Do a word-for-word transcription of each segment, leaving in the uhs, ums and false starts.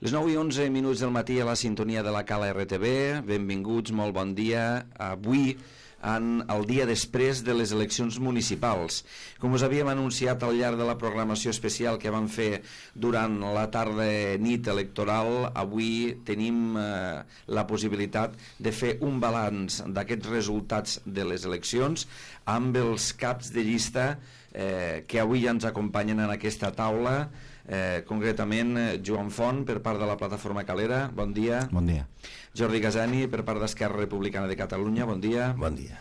Les nou i onze minuts del matí a la sintonia de la Cala R T V. Benvinguts, molt bon dia. Avui, en el dia després de les eleccions municipals. Com us havíem anunciat al llarg de la programació especial que vam fer durant la tarda nit electoral, avui tenim eh, la possibilitat de fer un balanç d'aquests resultats de les eleccions amb els caps de llista eh, que avui ja ens acompanyen en aquesta taula. Eh, concretament Joan Font per part de la plataforma Calera, bon dia. Bon dia. Jordi Gasani per part d'Esquerra Republicana de Catalunya, bon dia. Bon dia.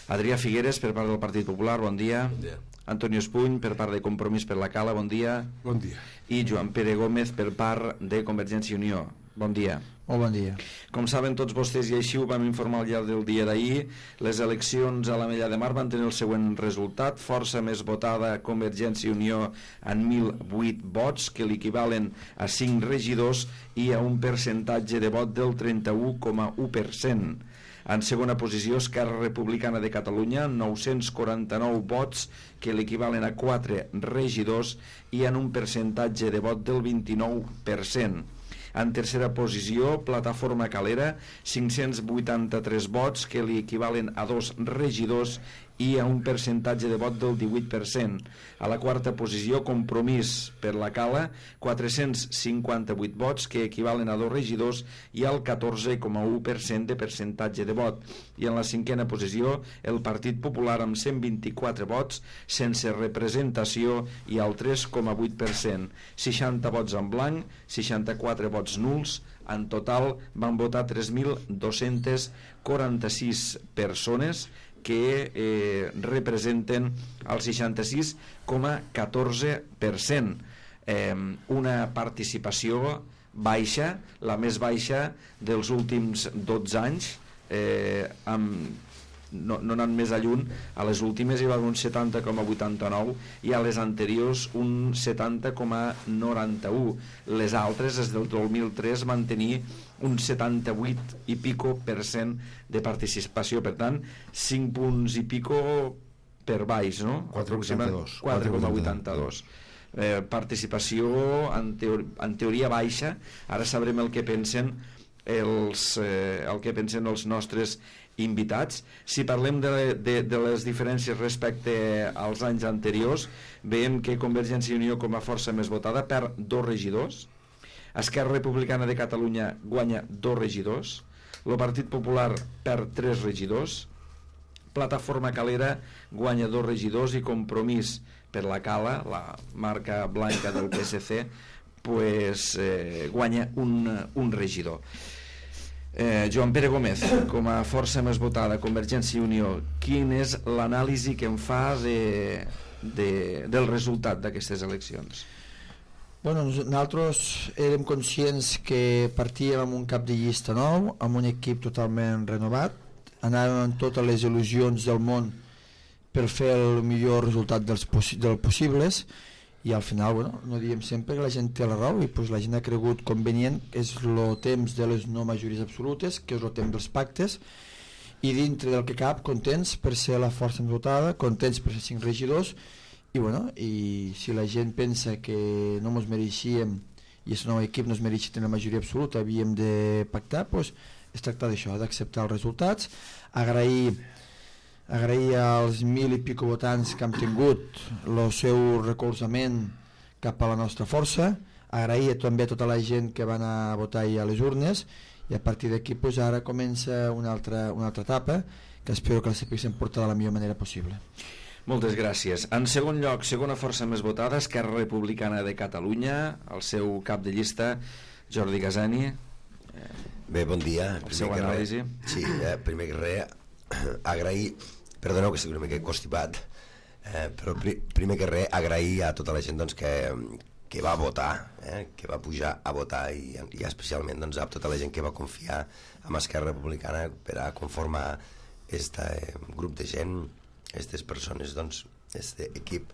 Adrià Figueres per part del Partit Popular, bon dia. Bon dia. Antonio Espuny per part de Compromís per la Cala, bon dia. Bon dia. I Joan Pere Gómez per part de Convergència i Unió, bon dia. Molt bon dia. Com saben tots vostès, i així ho vam informar al llarg del dia d'ahir, les eleccions a l'Ametlla de Mar van tenir el següent resultat: força més votada Convergència i Unió en mil vuit vots, que l'equivalen a cinc regidors i a un percentatge de vot del trenta-u coma u per cent. En segona posició, Esquerra Republicana de Catalunya, nou-cents quaranta-nou vots, que l'equivalen a quatre regidors i en un percentatge de vot del vint-i-nou per cent. En tercera posició, Plataforma Calera, cinc-cents vuitanta-tres vots, que li equivalen a dos regidors i a un percentatge de vot del divuit per cent. A la quarta posició, Compromís per la Cala, quatre-cents cinquanta-vuit vots, que equivalen a dos regidors i al catorze coma u per cent de percentatge de vot. I en la cinquena posició, el Partit Popular amb cent vint-i-quatre vots, sense representació i al tres coma vuit per cent. seixanta vots en blanc, seixanta-quatre vots nuls. En total van votar tres mil dos-cents quaranta-sis persones, que eh, representen el seixanta-sis coma catorze per cent. Eh, una participació baixa, la més baixa dels últims dotze anys, eh, amb no, no anant més a lluny. A les últimes hi va haver un setanta coma vuitanta-nou i a les anteriors un setanta coma noranta-u. Les altres, des del dos mil tres, van tenir un setanta-vuit i pico per cent de participació, per tant cinc punts i pico per baix, no? quatre coma vuitanta-dos. quatre coma vuitanta-dos. Eh, participació en, teor en teoria baixa. Ara sabrem el que pensen els, eh, el que pensen els nostres invitats. Si parlem de, de, de les diferències respecte als anys anteriors, veiem que Convergència i Unió, com a força més votada, perd dos regidors. Esquerra Republicana de Catalunya guanya dos regidors. El Partit Popular perd tres regidors. Plataforma Calera guanya dos regidors i Compromís per la Cala, la marca blanca del P S C, pues, eh, guanya un, un regidor. Eh, Joan Pere Gómez, com a força més votada Convergència i Unió, quin és l'anàlisi que en fa de, de, del resultat d'aquestes eleccions? Bueno, nosaltres érem conscients que partíem amb un cap de llista nou, amb un equip totalment renovat, anàvem amb totes les il·lusions del món per fer el millor resultat dels possi dels possibles, i al final, bueno, no diem sempre que la gent té la raó, i pues, la gent ha cregut convenient, és el temps de les no majories absolutes, que és el temps dels pactes, i dintre del que cap, contents per ser la força més votada, contents per ser cinc regidors, i bueno, i si la gent pensa que no ens mereixíem i el nou equip no es mereixia tenir la majoria absoluta, havíem de pactar, doncs es tracta d'això, d'acceptar els resultats, agrair agrair als mil i pico votants que han tingut el seu recolzament cap a la nostra força, agrair també a tota la gent que va anar a votar a les urnes, i a partir d'aquí pues, ara comença una altra, una altra etapa que espero que la sapiguem portar de la millor manera possible. Moltes gràcies. En segon lloc, segona força més votada, Esquerra Republicana de Catalunya, el seu cap de llista, Jordi Gasani. Bé, bon dia. El seu anàlisi. Sí, eh, primer que res, agrair, perdoneu que estic una mica constipat, eh, però pri, primer que res agrair a tota la gent doncs, que, que va votar, eh, que va pujar a votar, i, i especialment doncs, a tota la gent que va confiar en Esquerra Republicana per a conformar aquest eh, grup de gent, aquestes persones, doncs, aquest equip,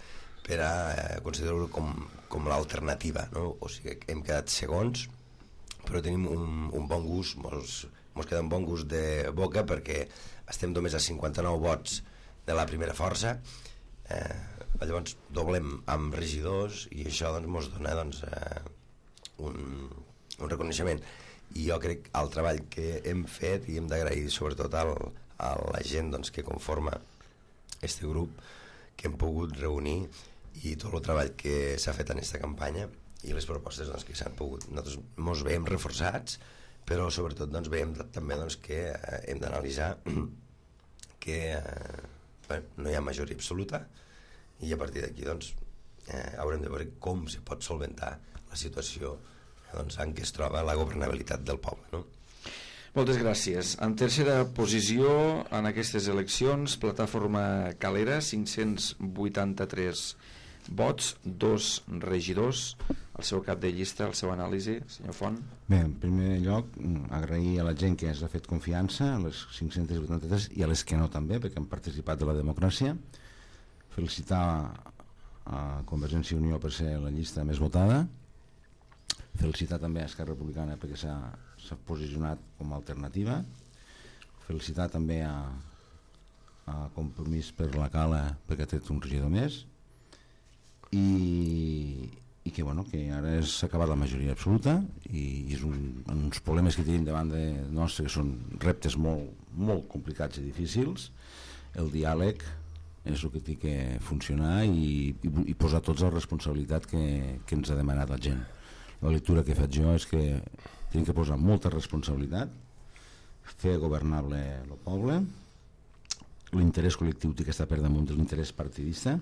per a eh, considerar-ho com, com l'alternativa, no? O sigui, hem quedat segons, però tenim un, un bon gust, mos, mos queda un bon gust de boca, perquè estem només a cinquanta-nou vots de la primera força, eh, llavors doblem amb regidors, i això doncs, mos dona doncs, eh, un, un reconeixement. I jo crec que el treball que hem fet, i hem d'agrair sobretot al, a la gent doncs, que conforma este grup, que hem pogut reunir, i tot el treball que s'ha fet en aquesta campanya i les propostes doncs, que s'han pogut, nosaltres ens veiem reforçats, però sobretot doncs, veiem també doncs, que eh, hem d'analitzar que eh, bé, no hi ha majoria absoluta, i a partir d'aquí doncs, eh, haurem de veure com se pot solventar la situació doncs, en què es troba la governabilitat del poble, no? Moltes gràcies. En tercera posició en aquestes eleccions, Plataforma Calera, cinc-cents vuitanta-tres vots, dos regidors, el seu cap de llista, el seu anàlisi, senyor Font. Bé, en primer lloc, agrair a la gent que ens ha fet confiança, a les cinc-cents vuitanta-tres i a les que no també, perquè han participat de la democràcia. Felicitar a Convergència i Unió per ser la llista més votada. Felicitar també a Esquerra Republicana perquè s'ha posicionat com a alternativa. Felicitar també a, a Compromís per la Cala perquè ha tret un regidor més, i, i que, bueno, que ara s'ha acabat la majoria absoluta, i és un, uns problemes que tenim davant de nostre, que són reptes molt, molt complicats i difícils. El diàleg és el que té que funcionar, i, i, i posar tots la responsabilitat que, que ens ha demanat la gent. La lectura que he fet jo és que tenim que posar molta responsabilitat, fer governable el poble, l'interès col·lectiu té que estar per damunt de l'interès partidista,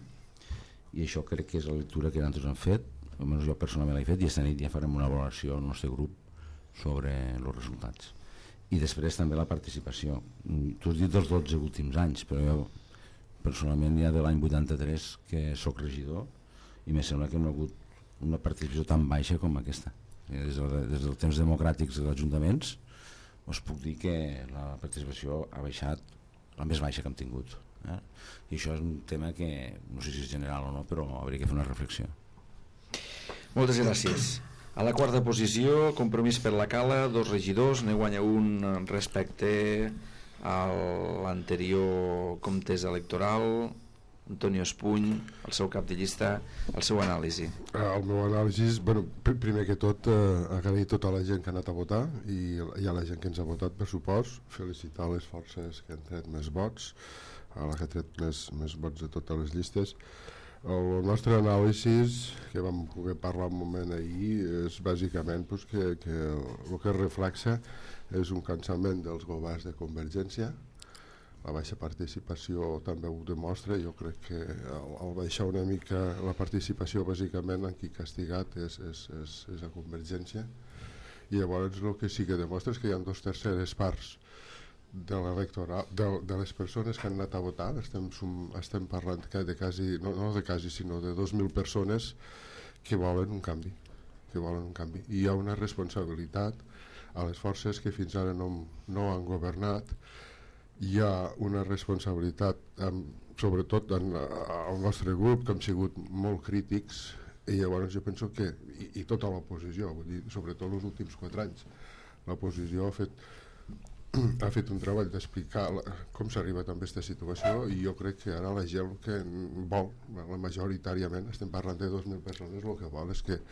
i això crec que és la lectura que nosaltres hem fet, almenys jo personalment l'he fet, i esta nit ja farem una valoració al nostre grup sobre els resultats. I després també la participació. Tu has dit els dotze últims anys, però jo personalment ja de l'any vuitanta-tres que sóc regidor, i me sembla que no ha hagut una participació tan baixa com aquesta. Des, de, des dels temps democràtics dels ajuntaments us puc dir que la participació ha baixat la més baixa que hem tingut, eh? I això és un tema que no sé si és general o no, però hauria que fer una reflexió. Moltes gràcies. A la quarta posició, Compromís per la Cala, dos regidors, ne guanya un respecte a l'anterior comptesa electoral, Antonio Espuny, el seu cap de llista, el seu anàlisi. El meu anàlisi és, bueno, primer que tot, eh, agrair a tota la gent que ha anat a votar, i, i a la gent que ens ha votat, per supost, felicitar les forces que han tret més vots, a la que ha tret més, més vots de totes les llistes. El nostre anàlisi, que vam poder parlar un moment ahir, és bàsicament pues, que, que el que reflexa és un cansament dels governs de Convergència. La baixa participació també ho demostra. Jo crec que al, al baixar una mica la participació, bàsicament en qui castigat és, és, és, és a Convergència, i llavors el que sí que demostra és que hi ha dos terceres parts de l'electorat, de, de les persones que han anat a votar. Estem, sum, estem parlant de quasi, no, no de quasi, sinó de dos mil persones que volen un canvi, que volen un canvi. I hi ha una responsabilitat a les forces que fins ara no, no han governat. Hi ha una responsabilitat, um, sobretot en, al nostre grup, que hem sigut molt crítics, i llavors jo penso que, i, i tota l'oposició, vull dir, sobretot els últims quatre anys, l'oposició ha fet, ha fet un treball d'explicar la, com s'ha arribat a aquesta situació, i jo crec que ara la gent que vol, la majoritàriament, estem parlant de dos mil persones, el que vol és que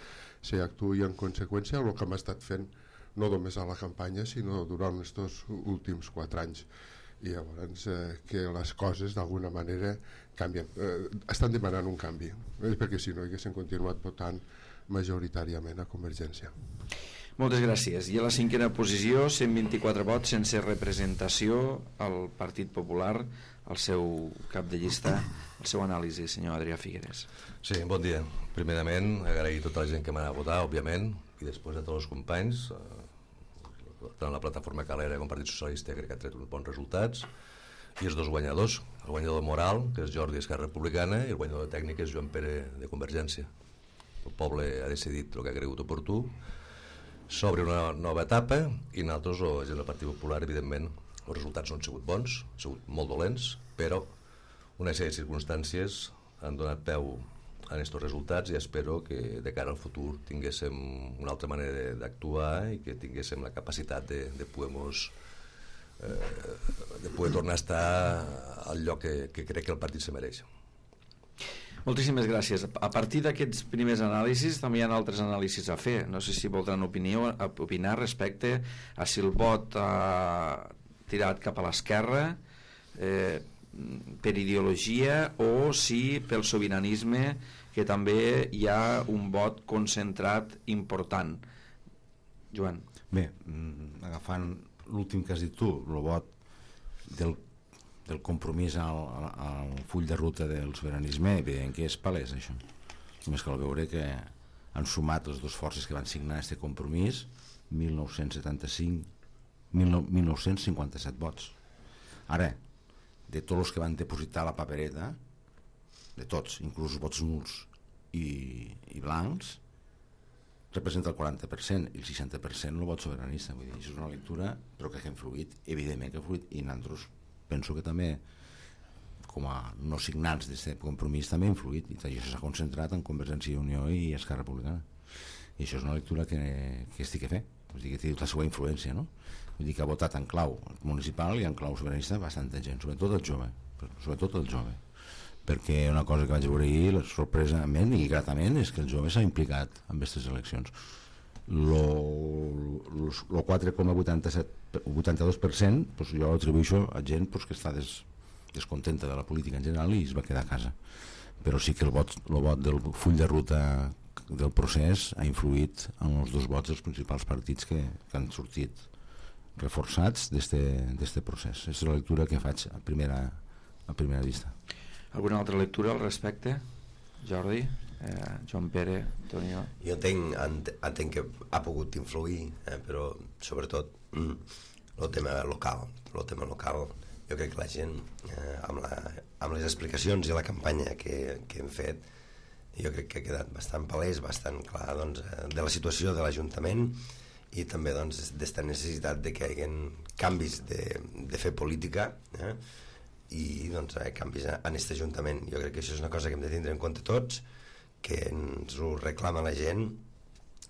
s'actuï en conseqüència el que hem estat fent, no només a la campanya, sinó durant aquests últims quatre anys. I llavors eh, que les coses d'alguna manera canvien, eh, estan demanant un canvi, eh, perquè si no haguessin continuat votant majoritàriament a Convergència. Moltes gràcies. I a la cinquena posició, cent vint-i-quatre vots sense representació, al Partit Popular, el seu cap de llista, el seu anàlisi, senyor Adrià Figueres. Sí, bon dia. Primerament, agrair a tota la gent que m'ha anat a votar, òbviament, i després a tots els companys. Tant la plataforma Calera com el Partit Socialista crec que ha tret uns bons resultats, i els dos guanyadors, el guanyador moral, que és Jordi Esquerra Republicana, i el guanyador de tècnica és Joan Pere de Convergència. El poble ha decidit el que ha cregut oportú, s'obre una nova etapa, i nosaltres, la gent del Partit Popular, evidentment els resultats no han sigut bons, han sigut molt dolents, però una sèrie de circumstàncies han donat peu a aquests resultats, i espero que de cara al futur tinguéssim una altra manera d'actuar i que tinguéssim la capacitat de, de poder mos, eh, de poder tornar a estar al lloc que, que crec que el partit se mereix. Moltíssimes gràcies. A partir d'aquests primers anàlisis també hi ha altres anàlisis a fer. No sé si voldran opinió, opinar respecte a si el vot ha tirat cap a l'esquerra eh, per ideologia o si pel sobiranisme, que també hi ha un vot concentrat important. Joan. Bé, agafant l'últim que has dit tu, el vot del, del compromís al, al full de ruta del sobiranisme, evident que és palès això. Només cal veure que han sumat les dues forces que van signar aquest compromís mil nou-cents setanta-cinc mil nou-cents cinquanta-set vots. Ara, de tots els que van depositar la papereta, de tots, inclús vots nuls i, i blancs, representa el quaranta per cent i el seixanta per cent el vot sobiranista. Vull dir, això és una lectura, però que ha influït, evidentment que ha influït, i nosaltres penso que també, com a no signants d'aquest compromís, també ha influït, i això s'ha concentrat en Convergència i Unió i Esquerra Republicana. I això és una lectura que, que estic a fer, vull dir, que té la seva influència, no? Vull dir que ha votat en clau municipal i en clau sobiranista bastanta gent, sobretot el jove, sobretot el jove. Perquè una cosa que vaig veure ahir, sorpresament i gratament, és que el jove s'ha implicat en aquestes eleccions. El quatre coma vuitanta-dos per cent pues, jo atribueixo a gent pues, que està des, descontenta de la política en general i es va quedar a casa. Però sí que el vot, el vot del full de ruta del procés ha influït en els dos vots dels principals partits que, que han sortit reforçats d'aquest procés. És la lectura que faig a primera, a primera vista. Alguna altra lectura al respecte? Jordi, eh, Joan Pere, Antonio? Jo entenc, entenc que ha pogut influir, eh, però sobretot el tema local. El tema local, jo crec que la gent, eh, amb, la, amb les explicacions i la campanya que, que hem fet, jo crec que ha quedat bastant palès, bastant clar doncs, de la situació de l'Ajuntament i també doncs, d'esta necessitat de que hi hagi canvis de, de fer política, eh? I doncs, eh, canvis en aquest Ajuntament. Jo crec que això és una cosa que hem de tindre en compte tots, que ens ho reclama la gent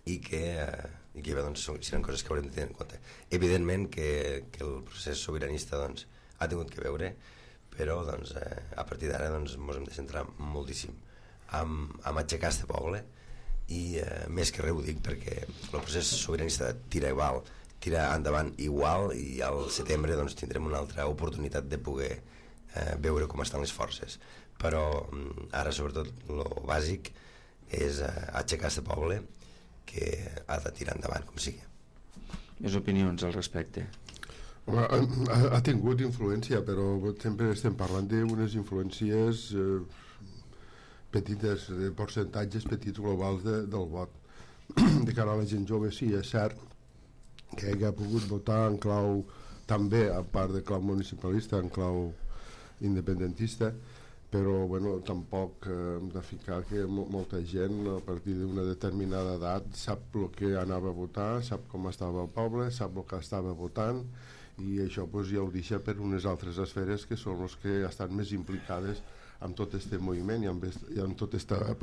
i que, eh, i que doncs, seran coses que haurem de tenir en compte. Evidentment que, que el procés sobiranista doncs, ha tingut que veure, però doncs, eh, a partir d'ara doncs, ens hem de centrar moltíssim en, en aixecar aquest poble i eh, més que res ho dic perquè el procés sobiranista tira igual, tira endavant igual i al setembre doncs, tindrem una altra oportunitat de poder eh, veure com estan les forces, però ara sobretot el bàsic és eh, aixecar aquest poble que ha de tirar endavant com sigui. Més opinions al respecte? Home, ha, ha tingut influència, però sempre estem parlant d'unes influències eh, petites, de percentatges petits globals de, del vot. De cara a la gent jove, sí, és cert que ell ha pogut votar en clau també, a part de clau municipalista, en clau independentista, però bueno, tampoc eh, hem de ficar que mo molta gent a partir d'una determinada edat sap el que anava a votar, sap com estava el poble, sap el que estava votant, i això pues, ja ho deixa per unes altres esferes que són les que estan més implicades amb tot aquest moviment i amb, i amb tota aquesta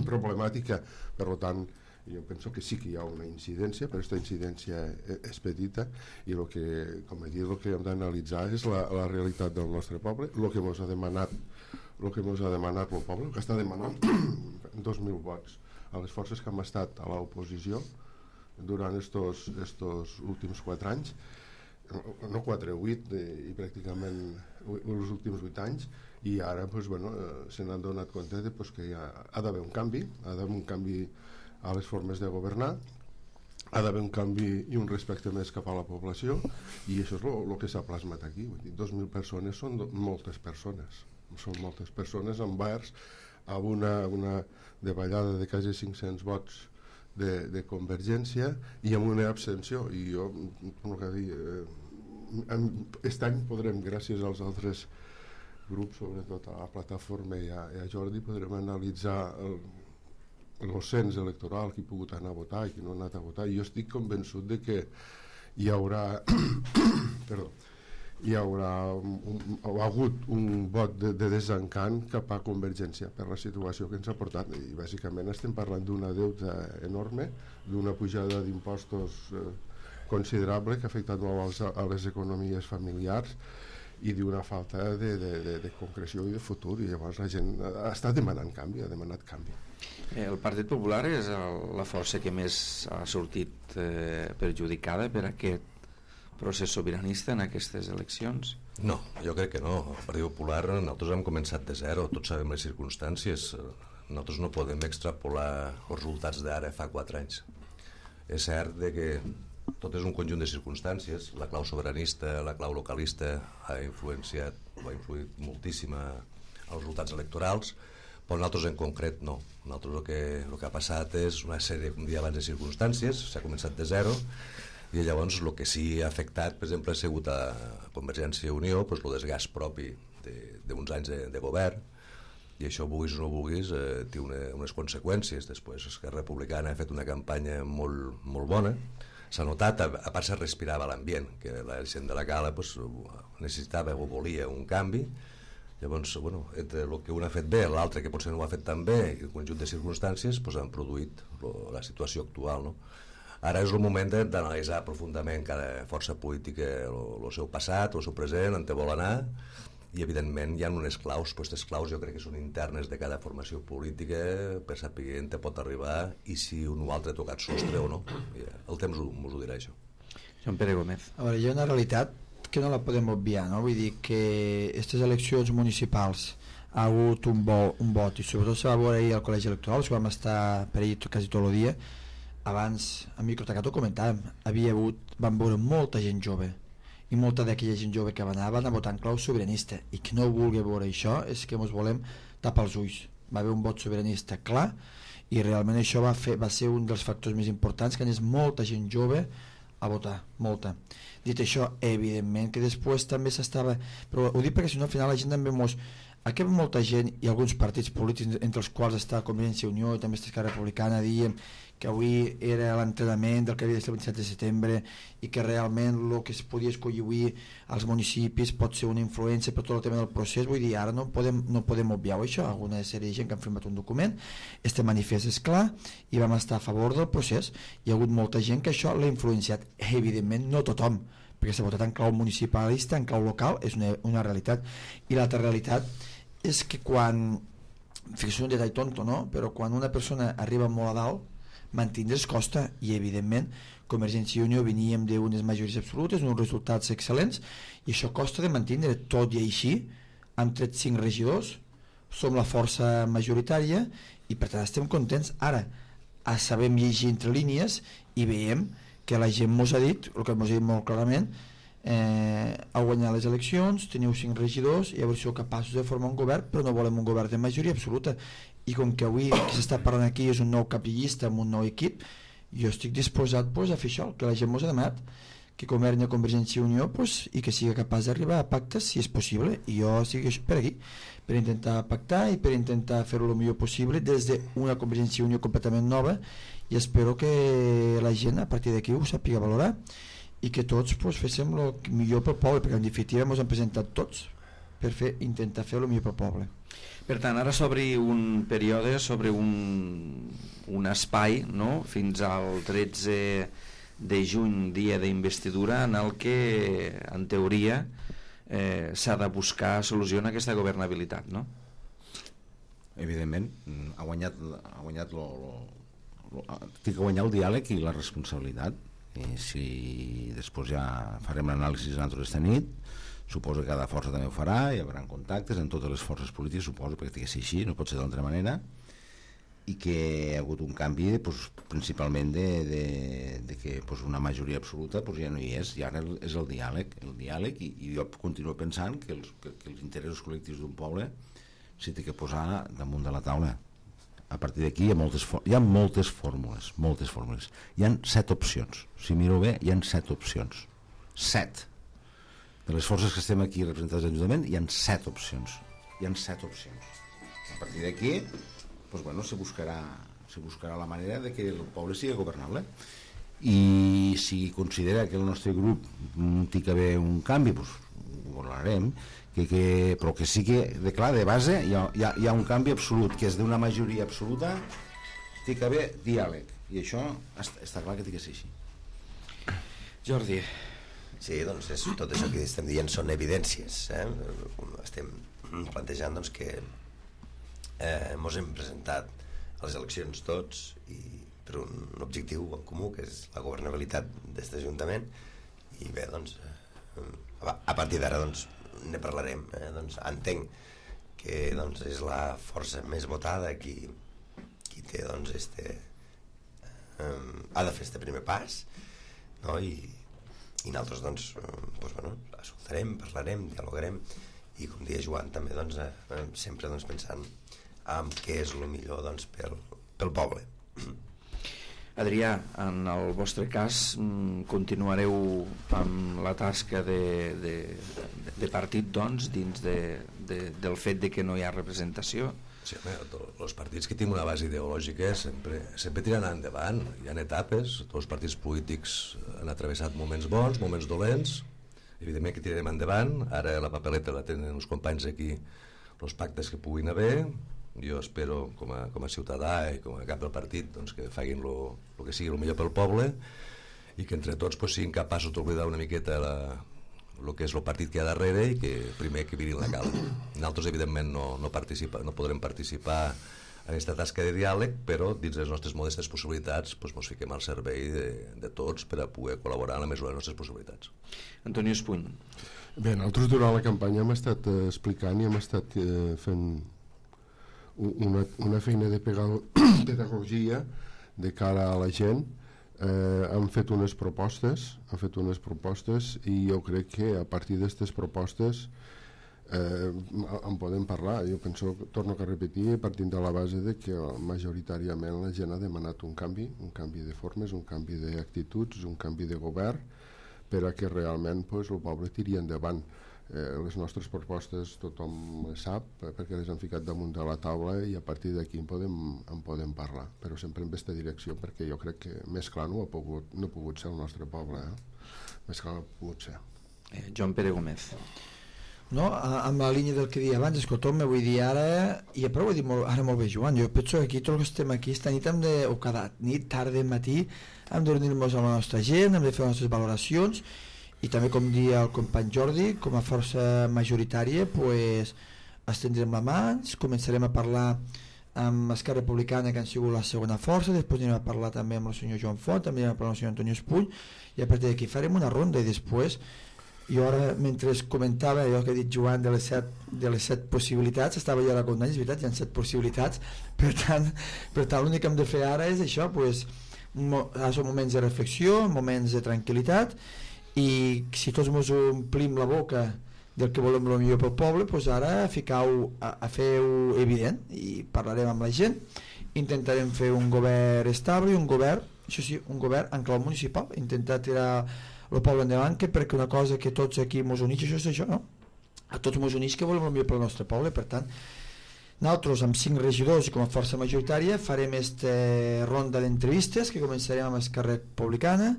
problemàtica. Per tant, jo penso que sí que hi ha una incidència, però aquesta incidència és petita i el que, com he dit, el que hem d'analitzar és la, la realitat del nostre poble, el que ens ha demanat el que ens ha demanat el poble, el que està demanant dos mil vots a les forces que hem estat a l'oposició durant estos, estos últims quatre anys, no quatre, vuit, i pràcticament els últims vuit anys, i ara pues, bueno, se n'han donat compte de, pues, que ha, ha d'haver un canvi, ha d'haver un canvi a les formes de governar, ha d'haver un canvi i un respecte més cap a la població, i això és el que s'ha plasmat aquí. Vull dir, dos mil persones són do, moltes persones, són moltes persones envers a una, una davallada de quasi cinc-cents vots de, de Convergència i amb una abstenció. I jo, com que dir, eh, aquest any podrem, gràcies als altres grups, sobretot a la plataforma i a, i a Jordi, podrem analitzar el, el cens electoral, qui ha pogut anar a votar i qui no ha anat a votar, i jo estic convençut de que hi haurà perdó, hi haurà un, un, ha hagut un vot de, de desencant cap a Convergència per la situació que ens ha portat, i bàsicament estem parlant d'una deuta enorme, d'una pujada d'impostos eh, considerable que ha afectat molt a les economies familiars i d'una falta de, de, de, de concreció i de futur, i llavors la gent està demanant canvi, ha demanat canvi. El Partit Popular és el, la força que més ha sortit eh, perjudicada per aquest procés sobiranista en aquestes eleccions? No, jo crec que no. El Partit Popular, nosaltres hem començat de zero, tots sabem les circumstàncies. Nosaltres no podem extrapolar els resultats d'ara fa quatre anys. És cert de que tot és un conjunt de circumstàncies. La clau sobiranista, la clau localista ha influenciat o ha influït moltíssim als resultats electorals, però nosaltres en concret no. Nosaltres el que, el que ha passat és una sèrie, com dia abans, de circumstàncies, s'ha començat de zero, i llavors el que sí ha afectat, per exemple, ha sigut a Convergència i Unió, doncs, el desgast propi d'uns anys de, de govern, i això, vulguis o no vulguis, eh, té una, unes conseqüències. Després Esquerra Republicana ha fet una campanya molt, molt bona, s'ha notat, a, a part se respirava l'ambient, que la gent de la Cala pues, necessitava o volia un canvi. Llavors, bueno, entre el que un ha fet bé, l'altre que potser no ho ha fet tan bé, i el conjunt de circumstàncies pues, han produït lo, la situació actual, no? Ara és el moment d'analitzar profundament cada força política el seu passat, el seu present, on te vol anar, i evidentment hi ha unes claus, però aquestes claus jo crec que són internes de cada formació política per saber on te pot arribar i si un o altre ha tocat sostre o no. El temps mos ho dirà, això. Joan Pere Gómez. A veure, hi ha una realitat que no la podem obviar, no? Vull dir que aquestes eleccions municipals ha hagut un, bo, un vot, i sobretot se va veure ahir al col·legi electoral, que vam estar per ahir quasi tot el dia. Abans, a Microtacat ho comentàvem, havia hagut, van veure molta gent jove, i molta d'aquella gent jove que va anar van a votar en clau sobiranista, i qui no vulgui veure això és que ens volem tapar els ulls. Va haver un vot sobiranista clar, i realment això va, fer, va ser un dels factors més importants, que anés molta gent jove a votar, molta. Dit això, evidentment que després també s'estava, però ho dic perquè si no al final la gent també mos... Aquí hi ha molta gent i alguns partits polítics, entre els quals està Convergència i Unió i també està Esquerra Republicana, dient que avui era l'entrenament del que havia de ser el vint-i-set de setembre i que realment el que es podia escollir avui als municipis pot ser una influència per tot el tema del procés. Vull dir, ara no podem, no podem obviar això. Alguna sèrie de gent que han firmat un document, este manifest és clar i vam estar a favor del procés. Hi ha hagut molta gent que això l'ha influenciat, evidentment no tothom, perquè s'ha votat en clau municipalista, en clau local, és una, una realitat. I l'altra realitat és que quan, fixa't un detall tonto, no? Però quan una persona arriba molt a dalt, mantindre's costa, i evidentment Convergència i Unió veníem d'unes majories absolutes, uns resultats excel·lents, i això costa de mantindre. Tot i així hem tret cinc regidors, som la força majoritària i per tant estem contents. Ara sabem llegir entre línies i veiem que la gent mos ha dit, el que mos ha dit molt clarament, eh, a guanyar les eleccions, teniu cinc regidors i a veure si sou capaços de formar un govern, però no volem un govern de majoria absoluta. I com que avui que s'està parlant aquí és un nou cap de llista amb un nou equip, jo estic disposat pues, a fer això, que la gent mos ha demanat, que governi a Convergència i Unió pues, i que sigui capaç d'arribar a pactes si és possible, i jo estic per aquí per intentar pactar i per intentar fer-ho el millor possible des d'una Convergència i Unió completament nova, i espero que la gent a partir d'aquí ho sàpiga valorar i que tots pues, féssim el millor pel poble, perquè en definitiva ens hem presentat tots per fer, intentar fer el millor pel poble. Per tant, ara s'obri un període sobre un, un espai, no?, fins al tretze de juny, dia d'investidura, en el que, en teoria, eh, s'ha de buscar solució a aquesta governabilitat, no? Evidentment, ha guanyat, ha guanyat lo, lo, lo, té que guanyar el diàleg i la responsabilitat. I si després ja farem l'anàlisi nosaltres esta nit, suposo que cada força també ho farà, hi haurà contactes en totes les forces polítiques, suposo, perquè té que ser així, no pot ser d'altra manera, i que hi ha hagut un canvi pues, principalment de, de, de que pues, una majoria absoluta pues, ja no hi és, i ara és el diàleg, el diàleg i, i jo continuo pensant que els, que, que els interessos col·lectius d'un poble s'hi té que posar damunt de la taula. A partir d'aquí hi ha moltes, hi ha moltes fórmules, moltes fórmules. Hi ha set opcions. Si miro bé, hi ha set opcions. Set. De les forces que estem aquí representades en l'Ajuntament, hi ha set opcions. Hi ha set opcions. A partir d'aquí, pues bueno, se buscarà, se buscarà la manera de que el poble sigui governable. I si considera que el nostre grup té que haver un canvi, pues ho valorarem. Que, que, però que sí que, de clar, de base hi ha, hi ha, hi ha un canvi absolut, que és d'una majoria absoluta, té que haver diàleg, i això està, està clar que té que ser així. Jordi, Sí, doncs és, tot això que estem dient són evidències. Eh? Estem plantejant doncs, que eh, ens hem presentat a les eleccions tots i per un objectiu en comú, que és la governabilitat d'aquest Ajuntament, i bé, doncs, eh, a partir d'ara doncs, ne parlarem. Eh? Doncs, entenc que doncs, és la força més votada qui, qui té, doncs, este, eh, ha de fer este primer pas, no? I, i nosaltres doncs, eh, doncs, bueno, escoltarem, parlarem, dialogarem, i com deia Joan també doncs, eh, sempre doncs, pensant en què és el millor doncs, pel, pel poble. Adrià, en el vostre cas continuareu amb la tasca de, de, de partit doncs, dins de, de, del fet de que no hi ha representació? Sí, els partits que tenen una base ideològica sempre, sempre tiraran endavant. Hi ha etapes, tots els partits polítics han atravessat moments bons, moments dolents, evidentment que tirarem endavant. Ara la papeleta la tenen els companys aquí, els pactes que puguin haver. Jo espero com a, com a ciutadà i com a cap del partit doncs, que facin el que sigui el millor pel poble i que entre tots pues, siguin capaços d'oblidar una miqueta la, el que és el partit que hi ha darrere i que primer que virin la cala. Nosaltres evidentment no, no, participa, no podrem participar en aquesta tasca de diàleg, però dins les nostres modestes possibilitats doncs, ens fiquem al servei de, de tots per a poder col·laborar en la mesura de les nostres possibilitats. Antonio Espuny. Bé, nosaltres durant la campanya hem estat eh, explicant i hem estat eh, fent una, una feina de pedagogia de cara a la gent. Eh, han fet unes propostes han fet unes propostes i jo crec que a partir d'aquestes propostes eh, en podem parlar. Jo penso, torno a repetir, partint de la base de que majoritàriament la gent ha demanat un canvi, un canvi de formes, un canvi d'actituds, un canvi de govern per a que realment pues, el poble tiri endavant. Eh, les nostres propostes tothom les sap perquè les han ficat damunt de la taula i a partir d'aquí en podem, en podem parlar, però sempre en aquesta direcció perquè jo crec que més clar no ha pogut, no ha pogut ser el nostre poble, eh? Més clar no ha pogut ser. eh, Joan Pere Gómez. No, amb la línia del que deia abans, escolta'm, vull dir ara, i però ho he dit molt, ara molt bé Joan, jo penso que aquí tots els que estem aquí esta nit hem de, o cada nit, tarda, matí hem de reunir-nos amb la nostra gent, hem de fer les nostres valoracions i també com dia el company Jordi, com a força majoritària pues, estendrem la mà, començarem a parlar amb Esquerra Republicana que han sigut la segona força, després anirem a parlar també amb el senyor Joan Font, també anirem a parlar amb el senyor Antonio Espuny i a partir d'aquí farem una ronda i després jo ara mentre comentava allò que ha dit Joan de les set, de les set possibilitats, estava jo ara comptant, és veritat, hi ha set possibilitats, per tant, per tant l'únic que hem de fer ara és això, pues, mo, són moments de reflexió, moments de tranquil·litat i si tots ens omplim la boca del que volem el millor pel poble, doncs ara ficar-ho a, a fer-ho evident i parlarem amb la gent, intentarem fer un govern estable i un govern, això sí, un govern en clau municipal, intentar tirar el poble endavant, que perquè una cosa que tots aquí ens uneix, això és això, no? A tots ens uneix que volem el millor pel nostre poble, per tant nosaltres amb cinc regidors i com a força majoritària farem aquesta ronda d'entrevistes que començarem amb Esquerra Republicana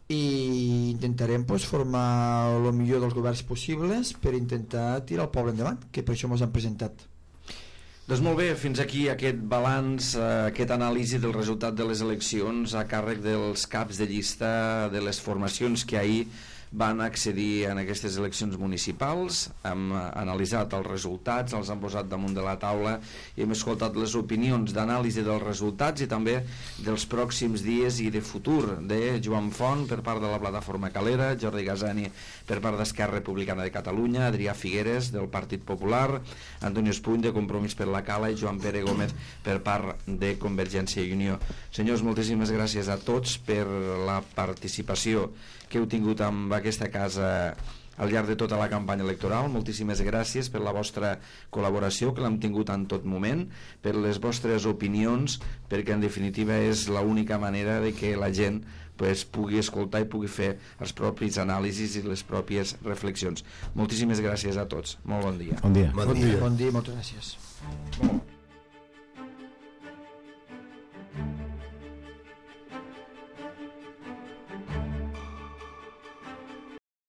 i intentarem pues, formar el millor dels governs possibles per intentar tirar el poble endavant, que per això ens han presentat. Doncs molt bé, fins aquí aquest balanç, eh, aquest anàlisi del resultat de les eleccions a càrrec dels caps de llista de les formacions que ahir van accedir en aquestes eleccions municipals. Hem analitzat els resultats, els hem posat damunt de la taula i hem escoltat les opinions d'anàlisi dels resultats i també dels pròxims dies i de futur de Joan Font per part de la plataforma Calera, Jordi Gasani per part d'Esquerra Republicana de Catalunya, Adrià Figueres del Partit Popular, Antonio Espuny de Compromís per la Cala i Joan Pere Gómez per part de Convergència i Unió. Senyors, moltíssimes gràcies a tots per la participació que heu tingut amb aquesta casa al llarg de tota la campanya electoral. Moltíssimes gràcies per la vostra col·laboració, que l'hem tingut en tot moment, per les vostres opinions, perquè en definitiva és l'única manera de que la gent pues, pugui escoltar i pugui fer els propis anàlisis i les pròpies reflexions. Moltíssimes gràcies a tots. Molt bon dia. Bon dia. Bon dia. Bon dia, moltes gràcies. Bon.